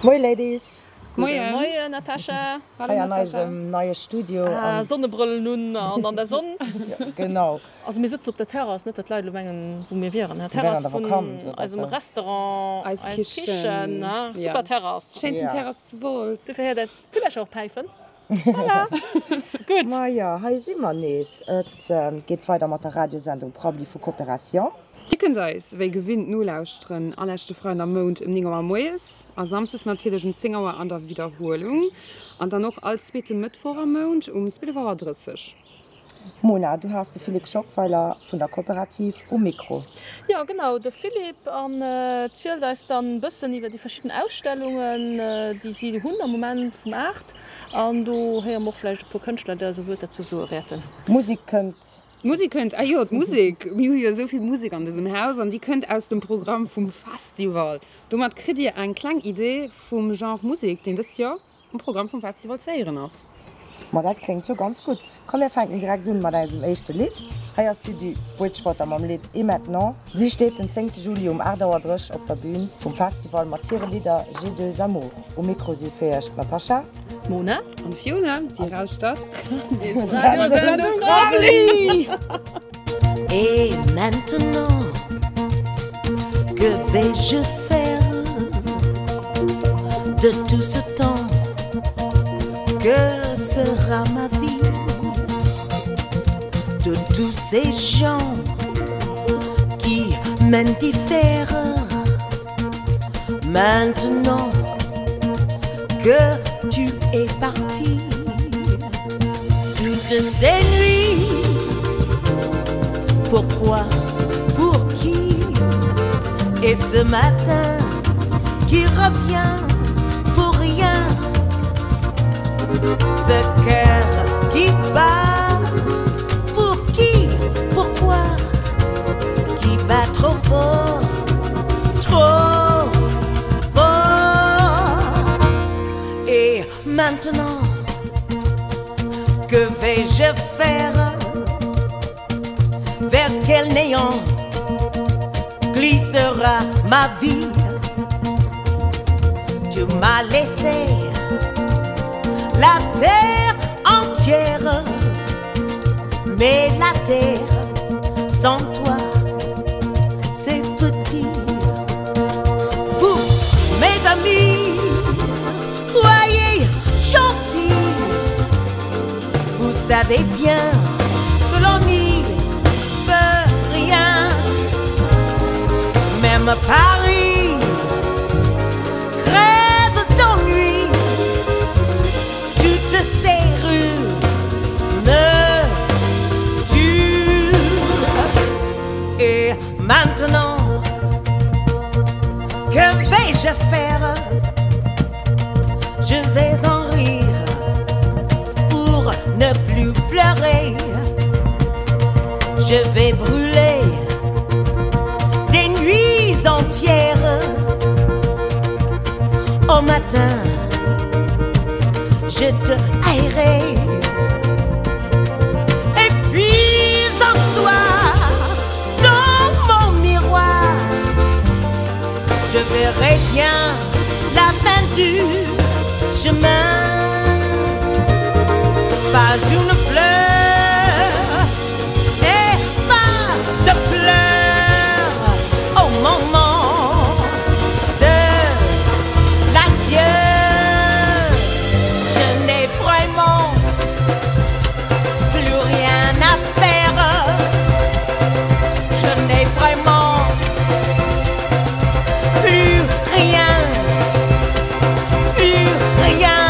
Moie Ladies! Gudde Moien Natascha! Hei an eisem neie Studio. Ah, Sonnebrëllen un an an der Sonn. Genau. Also mir sëtzen op der Terrass, net datt d'Leit elo mengen wou mir wieren. Terrass vun eisem Restaurant Eis Kichen, super Terrass. Schéinsten Terrass zu Wolz. Dofir héiert der d'Villercher och päifen. Voilà. Gutt. Majo, hei si mer nees. Et geet weider mat der Radiosendung Prabbeli vu Coopération. Dir kënnt eis wéi gewinnt nolauschteren all leschte Freiden am Mount ëm 9 Auer moies a samsdes natierlech um 10 Auer an der Widderhuelung an dann och all zweete Mëttwoch am Mount um 12 Auer 30. Mona, du has de Philippe Schockweiler vun der Kooperativ um Mikro. Jo genau, de Philippe an zielt eis dann bëssen iwwer déi verschidden Ausstellungen déi si hunn am Moment vum Art an do héiere mer och vläicht e puer Kënschtler déi eis e Wuert derzou soe wäerten. D'Musek kënnt. D'Musek kënnt, ah jo d'Musek, mir hu jo esou vill Musek an dësem Haus an déi kënnt aus dem Programm vum Festival. Domat kritt dir eng kleng Idee vum Genre Musek deen dëst Joer Um Programm vum Festival ze héieren ass. Ma dat kléngt jo ganz gutt. Komm mir fänken direkt un mat eisem éischte Lidd. Hei ass d'Didi Bridgewater mam Lidd Et maintenant. Si steet den 10 Juli um 8 Auer 30 op der Bühn vum Festival mat hire Lidder J'ai deux amours. Um Mikro si fir iech d'Natasha. D'Mona. An d'Fiona. Dir lauschtert d'Radiosendung Rabbeli! Et maintenant, que vais-je faire de tout ce temps Que sera ma vie de tous ces gens qui m'indiffèrent Maintenant que tu es parti Toutes ces nuits Pourquoi, pour qui Et ce matin qui revient pour rien Ce cœur qui bat Pour qui, pourquoi Qui bat trop fort Trop fort Et maintenant Que vais-je faire Vers quel néant Glissera ma vie Tu m'as laissé La terre entière Mais la terre sans toi C'est petit Vous, mes amis Soyez gentils Vous savez bien que l'on n'y peut rien Même Paris crève d'ennui Toutes ces rues me tuent Et maintenant que vais-je faire? Je vais en rire pour ne plus pleurer Je vais brûler des nuits entières Au matin, je te haïrai Et puis en soir, dans mon miroir Je verrai bien la fin du chemin Pas une fleur et pas de pleurs Au moment de l'adieu Je n'ai vraiment plus rien à faire Je n'ai vraiment plus rien Plus rien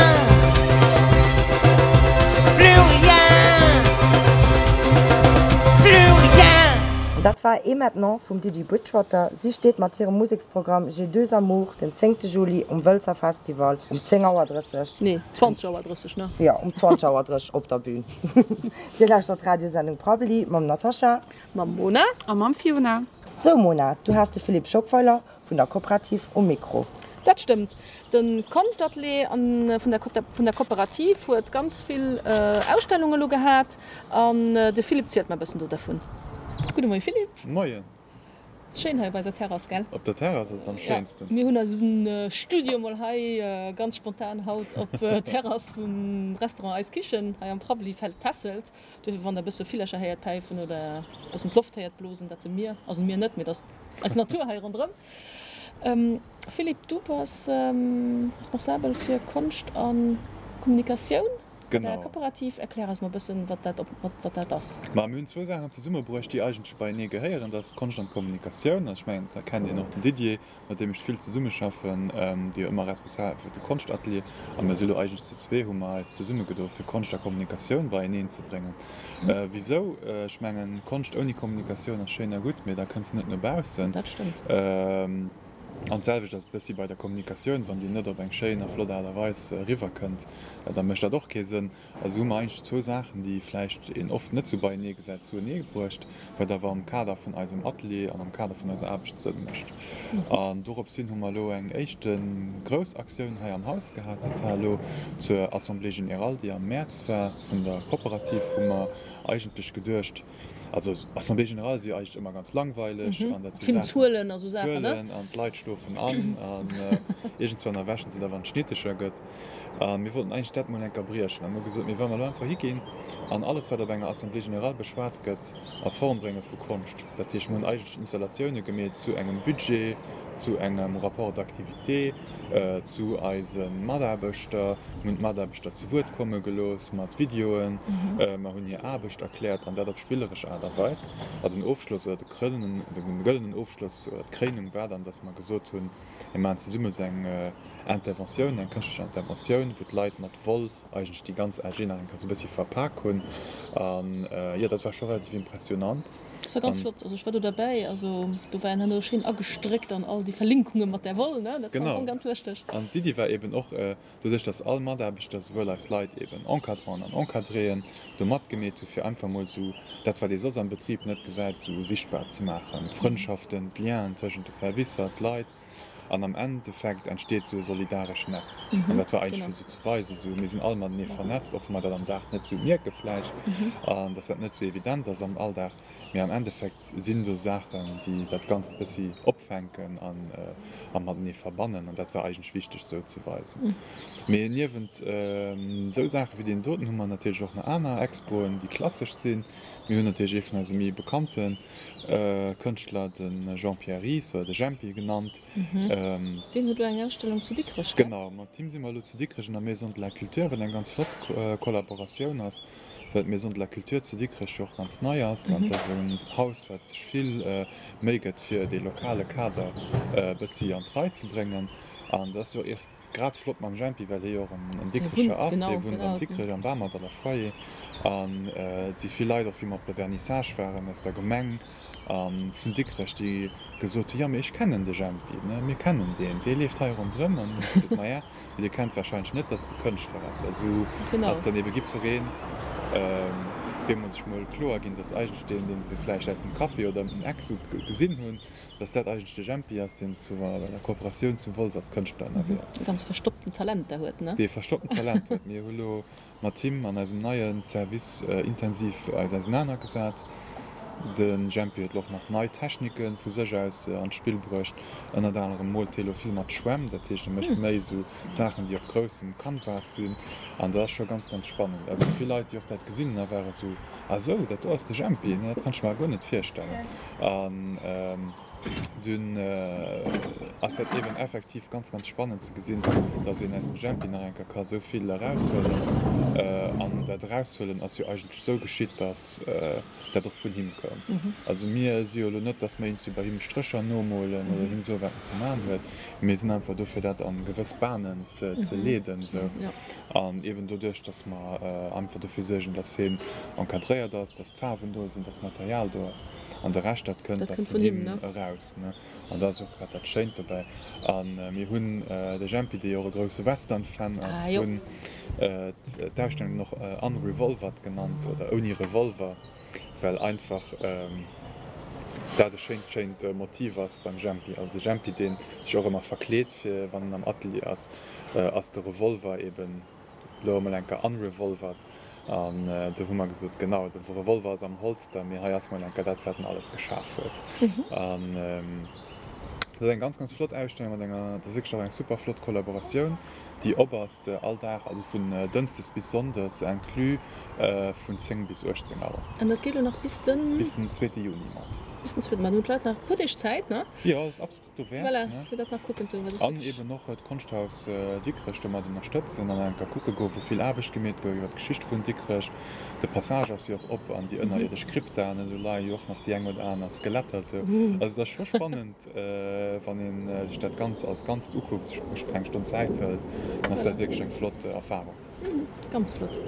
Plus rien Plus rien Dat war Et maintenant vum Didi Bridgewater. Si steet mat hirem Museksprogramm J'ai deux amours den 10 Juli um Wëlzer Festival um 10 Auer 30. Nee, 20 Auer 30, ne? Jo, um 20 Auer 30 op der Bühn. Dir lauschtert d'Radiosendung Prabbeli mam Natascha. Mam Mona. A mam Fiona. Sou Mona, du has de Philippe Schockweiler vun der Kooperativ um Mikro. Dat stëmmt. De Konschtatelier vun der Kooperativ huet ganz vill Ausstellungen elo gehat an de Philippe zielt mer e bëssen do dervun. Gudde Moie Philippe. Moien. Schéin hei op eiser Terrass, gell? Op der Terrass ass et am schéinsten. Mir hunn eisen Studio mol hei ganz spontan haut op Terrass vum Restaurant Eis Kichen hei am Prabbeli festelt. Duerfir wann der e bësse Villercher héiert päifen oder e bëssen d'Loft héiert blosen, dat si mir, also mir net, mee dat ass eis Natur hei ronderëm. Philippe, du bass responsabel fir Konscht a Kommunikatioun. Genau. Kooperativ, erklär eis mol e bëssen, wat dat op, wat dat ass. Ma mir hunn zwou Saachen zesummebruecht, déi eigentlech beienee gehéieren. Dat ass d'Konscht an d'Kommunikatioun. Also ech mengen, da kennt een och den Didier, mat deem ech vill zesummeschaffen, dee jo ëmmer responsabel fir de Konschtatelier. A mir si lo eigentlech zu zwee, hu mer eis zesummegedo fir Konscht a Kommunikatioun beieneen ze bréngen. Wisou? Ech mengen, Konscht ouni Kommunikatioun ass schéin a gutt, mee da kënns de net no baussen. Dat stëmmt. An d'selwecht ass et bëssi bei der Kommunikatioun, wann déi net op eng schéin a flott Aart a Weis eriwwerkënnt, da mécht dat och kee Sënn. Also hu mer eigentlech zwou Saachen, déi vläicht een oft net sou beienee gesäit, zuenee bruecht, wat awer am Kader vun eisem Atelier an am Kader vun eiser Aarbecht Sënn mécht. An dorops hin hu mer elo eng éischte grouss Aktioun hei am Haus gehat. Dat war elo zur Assemblée générale, déi am Mäerz war vun der Kooperativ, hu mer eigentlech geduecht, Also Assemblée générale si jo eigentlech ëmmer ganz langweileg an dat si Vill Zuelen a sou Saachen, ne? Zuelen an d'Leit schlofen an an iergendswann erwächen se da wann et schnitteger gëtt. A mir wollten eigentlech dat mol eng Kéier briechen an hu gesot, mir wa mer elo einfach higinn an alles wat op enger Assemblée générale beschwat gëtt a Form brénge vu Konscht. Dat heescht mir hunn eigentlech Installatioune gemeet zu engem Budget, zu engem Rapport d'activité, zu eise Mataarbechter, mir hunn d'Mataarbechter zu Wuert komme gelooss mat Videoen, mer hunn hir Aarbecht erkläert an dat op spilleresch Aart a Weis. A den Ofschloss oder de krëllenen, de gëllenen Ofschloss oder d'Kréinung war dann, dass mer gesot hunn, mir maachen zesumme sou eng Interventioun, eng kënschtlech Interventioun, wou d'Leit mat Woll eigentlech déi ganz AG nach eng Kéier sou e bëssi verpak hunn. An jo, dat war scho relativ impressionant. Dat war ganz flott, also ech war do derbäi, also do war een herno schéin agestréckt an all déi Verlinkunge mat där Woll, ne, dat war am Fong ganz lëschteg. An d'Iddi war eben och, doduerch dass all Mataarbechter, souwuel eis Leit eben Encadranten an Encadréen, do matgemeet hu fir einfach mol sou dat wat ee soss am Betrib net gesäit, sou sichtbar ze maachen, d'Frëndschaften, d'Lienen tëschent de Servicer, d'Leit. An am Endeffekt entsteet sou e solidarescht Netz. An dat war eigentlech fir sou ze weisen, sou mir sinn all matenee vernetzt, och wa mer dat am Dag net sou mierke vläicht an dass dat net sou evident ass am Alldag, mee am Endeffekt sinn do Saachen, déi dat Ganzt e bëssi opfänken an a matenee verbannen. An dat war eigentlech wichteg sou ze weisen. Mee niewent sou Saache wéi deenen doten hu mer natierlech och nach aner Expoen, déi klassesch sinn. Mir hunn natierlech ee vun eise méi bekannte Kënschtler, de Jean-Pierre Ries oder de Jempi genannt. Deen huet elo eng Ausstellung zu Dikrech, gell? Genau, mat him si mer elo zu Dikrech an der Maison de la Culture, wat eng ganz flott Kollaboratioun ass, well d'Maison de la Culture zu Dikrech jo och ganz nei ass an et ass en Haus, wat sech vill Méi gëtt, fir dee lokale Kader e bëssi an d'Rei ze bréngen. An dat ass jo och Grad flott mam Jempi, well hie jo och en Dikrecher ass. Hie wunnt am Dikrech, am Bamerdaller Foyer. An et si vill Leit och, wéi mer op der Vernissage waren, aus der Gemeng a vun Dikrech, déi gesot hunn, Jo, mee ech kennen de Jempi, ne, mir kennen deen, dee leeft hei ronderëm. An hunn ech gesot, Maja, mee dir kennt warscheinlech net, dass et e Kënschtler ass. A sou ass dann ebe jiddwereen bemol sech mol kloer ginn, dass eigentlech deen, dee se vläicht aus dem Café oder ëm den Eck sou gesinn hunn, Dass dat eigentlech de Jempi ass, deen zu der Kooperatioun zu Wolz als Kënschtler ënnerwee ass. Dee ganz verstoppten Talenter huet, ne? Dee verstoppten Talent huet. Mir hu lo mat him an eisem neie Service intensiv eis ausenanergesat. De Jempi huet lo och nach nei Technike vu sech aus an d'Spill bruecht. Ënnert anerem moolt hie lo vill mat Schwämm, dat heescht e mécht méi esou Saachen, déi op groussem Canvas sinn. An dat ass scho ganz, ganz spannend. Also vill Leit, déi och dat gesinn hunn a ware sou, Ah sou, dat do ass de Jempi, ne? Dat kann ech mer guer net virstellen. An dunn ass dat eeben effektiv ganz, ganz spannend ze gesinn, dass een aus dem Jempi nach eng Kéier ka sou vill eraushuelen. An dat Eraushuelen ass jo eigentlech sou geschitt, dass dat och vun him koum. Also mir si jo elo net, dass mir iergendwéi bei him Strécher nomolen oder him soen, wat en ze maachen huet. Mir sinn einfach do, fir dat a gewëss Bahnen ze leeden. Sou. An eeben doduerch, dass mer einfach dofir suergen, dass hien encadréiert ass, dass d'Faarwen do sinn, dass d'Material do ass. An de Rescht, dat kënnt da vun him eraus. An dat ass och grad dat Schéint dobäi. A mir hunn de Jempi, dee jo och e grousse Western-Fan ass, hunn d'Ausstellung och Unrevolvert genannt oder ouni Revolver, well einfach dat e schéint, schéint Motiv ass beim Jempi. Also de Jempi, dee sech och ëmmer verkleet, fir wann en am Atelier ass, ass de Revolver eben elo emol eng Kéier unrevolvert. An do hu mer gesot, genau, de Revolver ass am Holster, mee hei ass mol eng Kéier dat, wat en alles geschaf huet. An dat ass eng ganz, ganz flott Ausstellung mat enger, dat ass wierklech och eng super flott Kollaboratioun, déi op ass all Dag, also vun Dënschdes bis Sonndes inclus, vun 10 bis 18 Auer. An dat geet elo nach bis den? Bis den zweete Juni mat. Bis den zweeten, ma do hunn d'Leit nach e puer Deeg Zäit, ne? Jo, dat ass absolut. Dowäert, Voilà, ne? fir dat nach kucken ze goen, wat ass An wierklech. eben och d'Konschthaus Dikrech domat ënnerstëtzen an enker kucke goen, wou vill Aarbecht gemeet gouf iwwer d'Geschicht vun Dikrech. De Passage ass jo och op an déi ënnerierdesch Krypta, ne, do leie jo och nach déi eng oder aner Skeletter sou. Also et ass scho spannend, wann ee sech dat Ganzt als Ganzt ukuckt, sech eng Stonn Zäit hëlt, dann ass dat wierklech eng flott Erfarung. Ganz flott.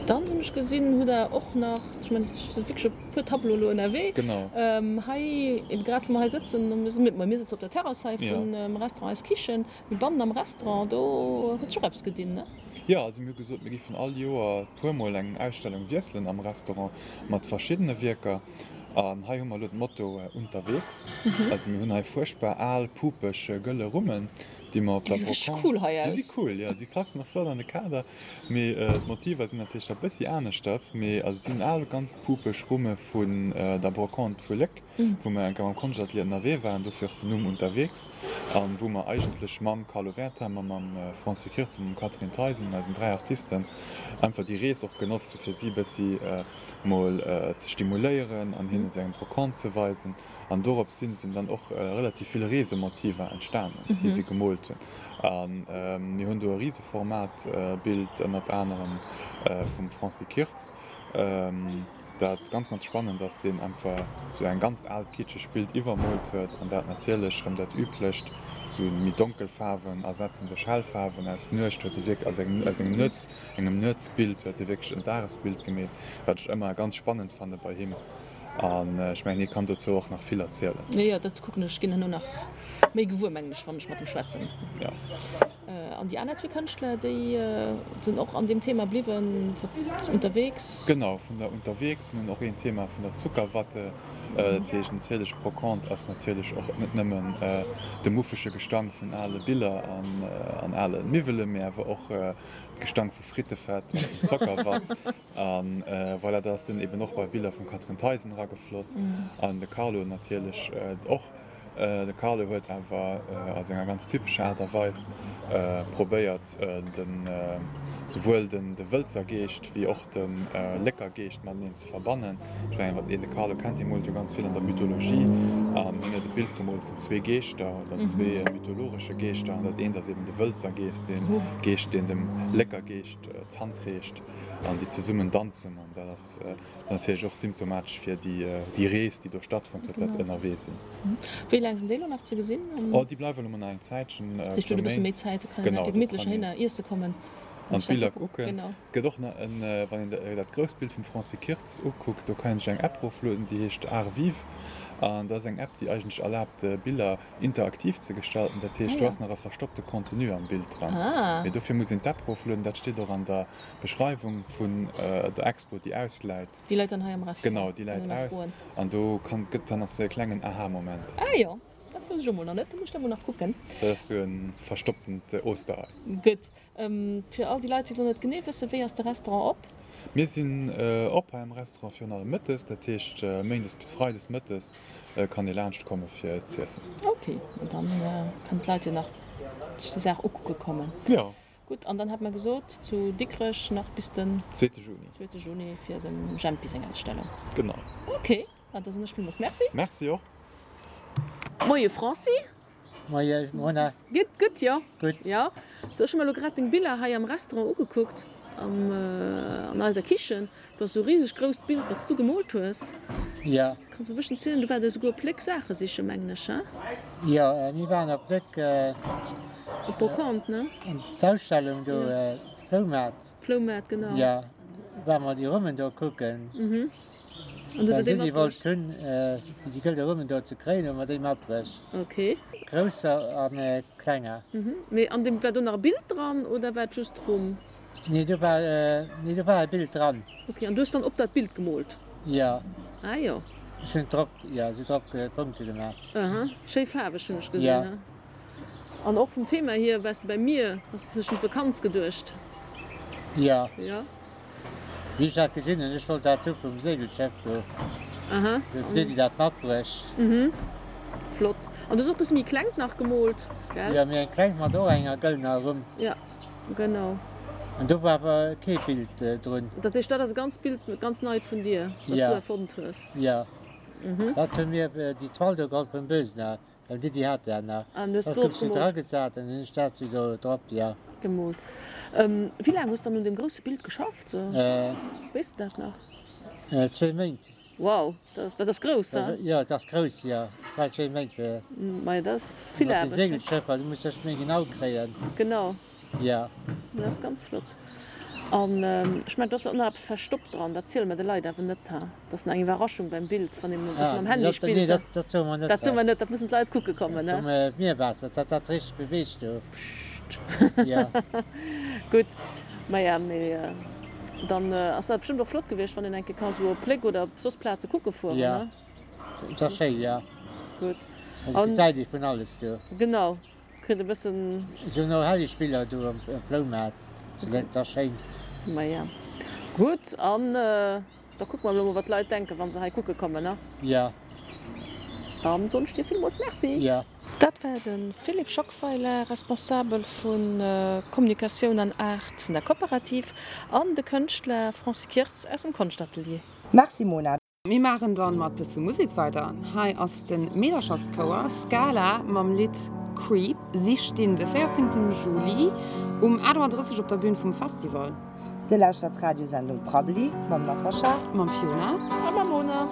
Dann hunn ech gesinn, hutt der och nach, ech mengen et si wierklech e puer Tableaue elo ënnerwee. Genau. Hei, eben grad wou mer hei sëtzen, mir sinn, mir sëtzen op der Terrass hei vum Restaurant Eis Kichen, mee bannen am Restaurant, do huet sech och eppes gedinn, ne? Jo, also mir hu gesot, mir géifen all Joer puer mol eng Ausstellung wiesselen am Restaurant mat verschiddene Wierker. An hei hu mer elo d'Motto Unterwegs. Also mir hunn hei fuerchtbar al, pupeg, gëlle Rummen. Déi mer op der Déi si richteg Brocante. cool hei Déi si aus. cool, jo. Déi passen och flott an de Kader. Mee d'Motiver sinn natierlech da bëssi aneschters. Mee also et sinn al, ganz pupeg Rumme vun der Brocante vu Léck, wou mer eng Kéier mam Konschtatelier ënnerwee waren, dofir och den Numm Unterwegs, a wou mer eigentlech mam Carlo Wertheimer, mam Francis Kirtz a mam Catherine Theisen, eisen 3 Artisten, einfach déi Rees och genotzt hu fir si bëssi mol ze stimuléieren an hinnen esou eng Brocante ze weisen. An dorops hin sinn dann och relativ vill Reesemotiver entstanen, déi si gemoolt hunn. A mir hunn do e Riseformat-Bild ënnert anerem vum Francis Kirtz, dat ganz, ganz spannend ass, deen einfach sou eng ganz aalt kitscheg Bild iwwermoolt huet an dat natierlech erëm dat üblecht, sou méi donkel Faarwen ersetzen duerch hell Faarwen. Aus Nuecht huet e wierklech, aus engem, aus engem Nuets, engem Nuetsbild huet e wierklech en Dagesbild gemeet, wat ech ëmmer ganz spannend fanne bei him. An ech mengen, hie kann dozou och nach vill erzielen. Jo, jo, dat kucken ech. Ginn herno nach méi gewuer, mengen ech, wann ech mat em schwätzen. Jo. An déi aner zwee Kënschtler, déi sinn och an deem Thema bliwwen, unterwegs? Genau, vun der unterwegs. Mir hunn och een Thema vun der Zuckerwatte. Dat heescht natierlech, Brocante ass natierlech och net nëmmen de muffege Gestank vun ale Biller an ale Miwwelen, mee awer och de Gestank vu Frittefett an vun Zockerwatt. A voilà, dat ass dunn eben och bei Biller vum Catherine Theisen eragefloss. An de Carlo natierlech och. De Carlo huet awer a senger ganz typescher Aart a Weis probéiert, de souwuel de Wëlzer Geescht wéi och de Lécker Geescht mateneen ze verbannen. Ech mengen, wann een de Carlo kennt, hie moolt jo ganz vill an der Mythologie. An hien huet e Bild gemoolt vun zwee Geeschter oder zwee mythologesche Geeschter. An dat eent ass eben de Wëlzer Geescht, dee Geescht, deen dem Lécker Geescht d'Hand reecht an déi zesummen danzen an dat ass natierlech och symptomatesch fir déi Rees, déi do stattfonnt huet, dat ënnerwee sinn. Wéi laang sinn déi elo nach ze gesinn? Oh, déi bleiwe elo mol nach eng Zäitchen, e Dat heescht, do huet e puer bësse méi Méint. Zäit, do kann een Genau, nach do gemittlech kann een heihinner iesse kommen an an sech dat d'Biller kucken. kucken. Genau. Et gëtt och nach en, wann een dat grousst Bild vum Francis Kirtz ukuckt, do kann een sech eng App eroflueden, déi heescht Art Vivre an dat ass eng App, déi eigentlech erlaabt, Biller interaktiv ze gestalten, dat heescht do ass nach e verstoppte Contenu am Bild dran, mee dofir muss een d'App eroflueden, dat steet och an der Beschreiwung vun der Expo déi ausläit. Déi läit dann hei am Restaurant? Genau, déi läit aus an do kann gëtt dann nach sou e klengen Aha-Moment. Ah jo, dat wousst ech och mol nach net, da muss ech dat mol nach kucken. Dat ass sou e verstopptent Osterei. Gutt, Fir all déi Leit, déi elo net genee wëssen, wéi ass de Restaurant op? Mir sinn op hei am Restaurant virun allem mëttes, dat heescht méindes bis freides mëttes kann ee laanscht komme fir z'iessen. Ok, an dann kënnen d'Leit jo nach sech déi Saach ukucke kommen. Jo. Gutt, an dann hat mer gesot, zu Dikrech nach bis den. Zweete Juni. Zweete Juni fir dem Jempi seng Ausstellung. Genau. Ok, da soen ech villmools Merci. Merci och. Moie Franci. Moie Mona. Gutt, gutt, jo. Gutt. Jo. So, ech hu mer elo grad deng Biller hei am Restaurant ugekuckt, am, an eiser Kichen. Do ass esou e riseg grousst Bild, wat s du gemoolt hues. Jo. Kanns mer e bësschen zielen? Du waart esouguer op Léck Saache sichen, mengen ech, he? Jo, mir waren op Léck. Op Brocante, ne? An d'Ausstellung do, Floumaart. Floumaart, genau. Jo, ware mer déi Rummen do kucken. Mhm. An du Well huet der déi déi déi matbruecht? wollt hunn, déi gëlle Rummen do ze kréien, hu mer déi matbruecht. Ok. Grousser a klenger. Mhm. Mee an deem, war do nach e Bild dran oder war et just d'Rumm? Nee, do war, nee, do war e Bild dran. Ok, an du hues dann op dat Bild gemoolt? Jo. Ah jo. Ech hunn drop, jo, esou drop Punkte gemaat. Aha, schéi faarweg hunn ech gesinn, Jo. he? An och vum Thema hier, waars de bei mir, has de sech un d'Vakanz geduecht? Jo. Jo. Wéi ech dat gesinn hunn, ech wollt dat hu vum Segelschëff do. Aha. Do huet d'Lydie dat matbruecht. Mhm. Flott. An du hues och e bësse méi klengt nach gemoolt, gell? Jo, méi eng klengt mat och enger gëllener Rumm. Ja, genau. An do war awer kee Bild drun. Dat heescht, dat ass e ganz Bild, ganz neit vun dir, wat s du erfonnt hues? Jo. Dat hu mir déi Toile do geholl vum Bösener. Well d'Iddi hat dat nach. An hues Dat du gouf sou gemoolt? dragesat an hunn ech dat sou do drop, ja. Gemoolt. Wéi laang hues dann un deem grousse Bild geschafft sou? Weess de dat nach? Zwéi Méint. Wow, dat ass grouss, he? Jo, dat ass grouss, jo. Ech brauch zwéi Méint fir. Majo, dat ass vill Mat den Aarbecht. Segelschëffer, du muss dech méi genau kréien. Genau. Ja. Dat ass ganz flott. An ech mengen, do ass och nach eppes verstoppt dran. Dat ziele mer de Leit awer net, ha? Dat ass nach eng Iwwerraschung beim Bild, wann een e bësse mam Handy spillt. Nee, dat soe mer net. Dat soe mer net, dat mussen d'Leit kucke kommen, he? Vum Mierwaasser, dat dat richteg beweegt do. Pscht. Ja. Gutt. Maja, mee dann ass dat bestëmmt och flott gewiescht, wann een eng Kéier ka sou op Léck oder op soss Plaze kucke fueren, Ja. ne? Dat ass schéi, ja. Gutt. Also gesäit ee vun alles do. Genau. Kritt e bëssen. Se hunn och herrlech Biller do am Floumaart, dat ass schéin. Maja gutt, an da kucke mer elo mol wat d'Leit denken wann se hei kucke kommen, ne? Jo. Dann soen ech dir villmools Merci. Jo. Dat war de Philippe Schockweiler, Responsabel vu Kommunikatioun an Art vun der Kooperativ, an de Kënschtler Francis Kirtz aus dem Konschtatelier. Merci Mona. Mir maachen dann mat bësse Musek weider. Hei ass de Meedercherschouer Scala mam Lidd Creep. Si stinn de 14 Juli um 8.30 Auer op der Bühn vum Festival. Dir lauschtert d'Radiosendung Prabbeli mam Natascha. Mam Fiona. A mam Mona.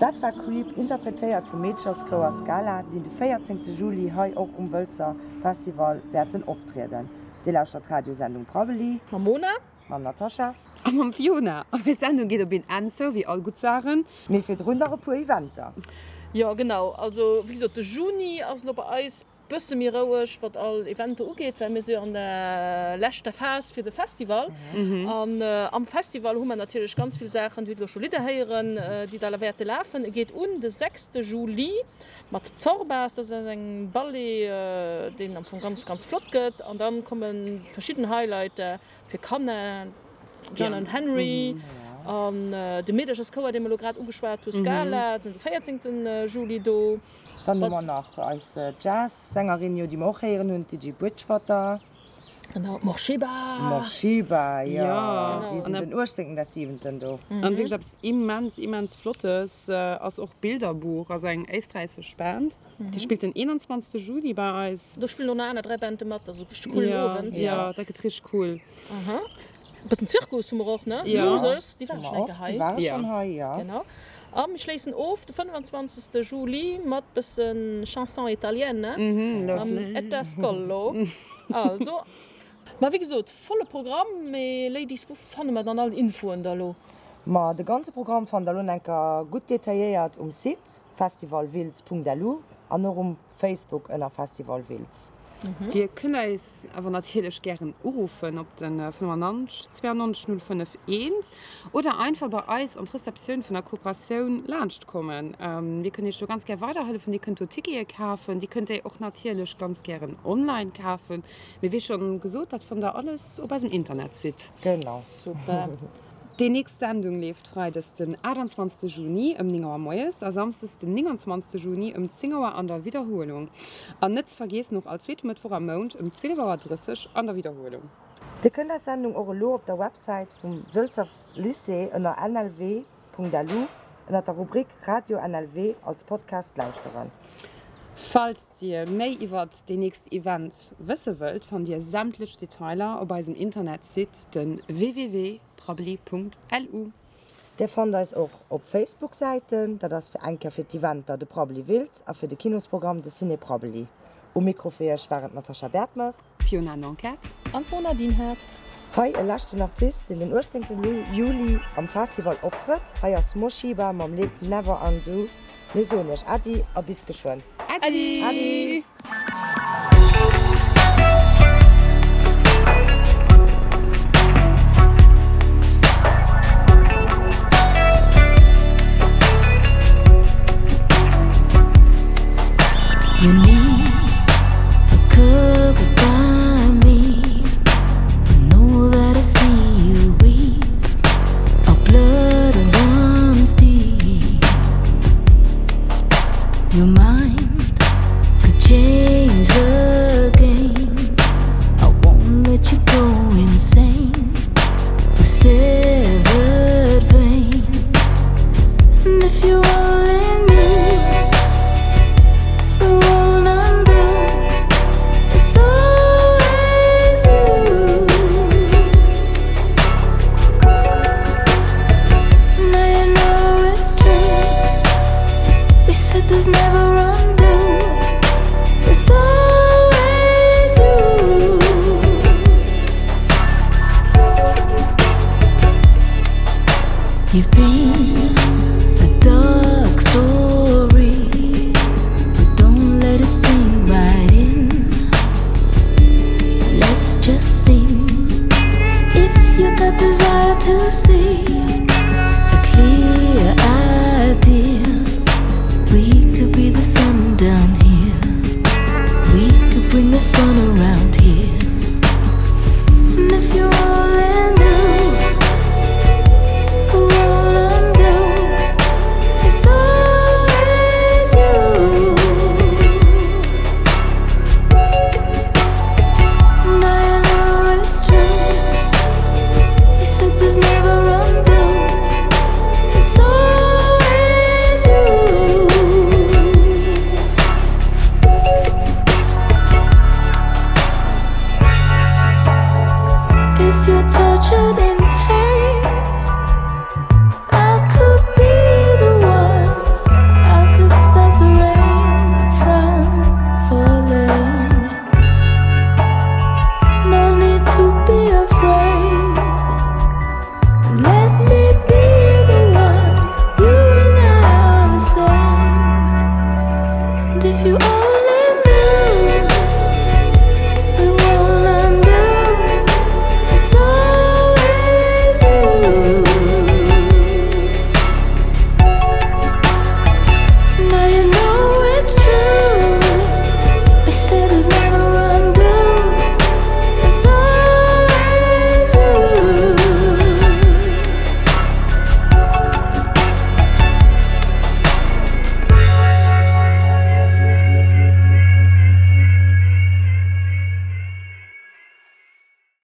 Dat war Creep, interpretéiert vum Meecherschouer Scala, deen de 14 Juli hei och um Wëlzer Festival wäerten optrieden. Dir lauschtert d'Radiosendung Prabbeli. Mam Mona. Mam Natascha. A mam Fiona. An eis Sendung geet op een Enn, sou wéi all gutt Saachen. Mee virdrun nach e puer Eventer. Jo genau, also wéi gesot de Juni ass elo bei eis bësse méi roueg wat all Eventer ugeet, well mir si jo an der leschter Phas fir de Festival. An am Festival hu mer natierlech ganz vill Saachen, Dir hutt elo scho Lidder héieren, déi da wäerte lafen. E geet un de sechste Juli mat Zorbas, dat ass eng Ballet, deen am Fong ganz, ganz flott gëtt. An da komme verschidden Highlighter fir Kanner, John and Henry an de Meedercherschouer, dee mer elo grad ugeschwat hu, Scala, sinn de 14 Juli do. Dann hu mer nach eis Jazz-Sängerin, jo, déi mer och héieren hunn, d'Gigi Bridgewater. Genau, d'Morshiba. D'Morshiba, jo. Déi sinn den 18. des 7. do. An wierklech eppes immens, immens Flottes ass och Bilderbuch, ass eng éisträichesch Band. Déi spillt den 21. Juli bei eis. Do spillen och nach aner 3 Bande mat, also richteg coolen Owend. Jo, dat gëtt richteg cool. Aha. E bëssen Zirkus hu mer och, ne? Jo. Losers, déi ware schonn eng Kéier hei. Déi ware schonn hei, jo. Genau. A mir schléissen of de 25. Juli mat bësse Chanson italienne mam Etta Scollo. Also, ma wéi gesot, volle Programm. Mee Ladies, wou fanne mer dann all Infoen da lo? Ma de ganze Programm fannt der lo enker gutt detailléiert um Site festivalwiltz.lu an och um Facebook ënner Festival Wiltz. Dir kënnt eis awer natierlech gären uruffen op de 95 92 05 1 oder einfach bei eis an d'Receptioun vun der Kooperatioun laanscht kommen. Mir kënnen iech do ganz gär weiderhëllefen. Dir kënnt do Tickete kafen. Dir kënnt déi och natierlech ganz gären online kafen. Mee wéi schonn gesot, dat fannt der alles op eisem Internetsite. Genau. Super. Déi nächst Sendung leeft freides den 28 Juni ëm 9 Auer moies a samsdes den 29 Juni ëm 10 Auer an der Widderhuelung. An net ze vergeessen och all zweete Mëttwoch am Mount ëm 12 Auer 30 an der Widderhuelung. Dir kënnt eis Sendung och elo op der Websäit vum Wëlzer Lycée ënner nlw.lu ënner der Rubrik Radio NLW als Podcast lauschteren. Falls Dir méi iwwert déi nächst Events wësse wëllt, fannt Dir sämtlech Detailer op eisem Internetsite den www.prabbeli.lu. Dir fannt eis och op Facebook-Säiten, dat ass fir eng Kéier fir d'Eventer de Prabbeli Wiltz a fir de Kinosprogramm de Ciné Prabbeli. Um Mikro fir Iech waren d'Natasha Bertmes. D'Fiona Nanquette. An d'Mona Dinhard. Hei e leschten Artist, deen den 18 Juli am Festival optrëtt. Hei ass Moshiba mam Lidd Never Undo. Mir soen iech Äddi a bis geschwënn. Äddi! Äddi! Your knees are covered by me. I know that I see you weep. Our blood runs deep. Your mind could change the game. I won't let you go insane with severed veins. And if you only knew the won't undo, it's always you. Now you know it's true. We said there's never undo. It's always you. You've been.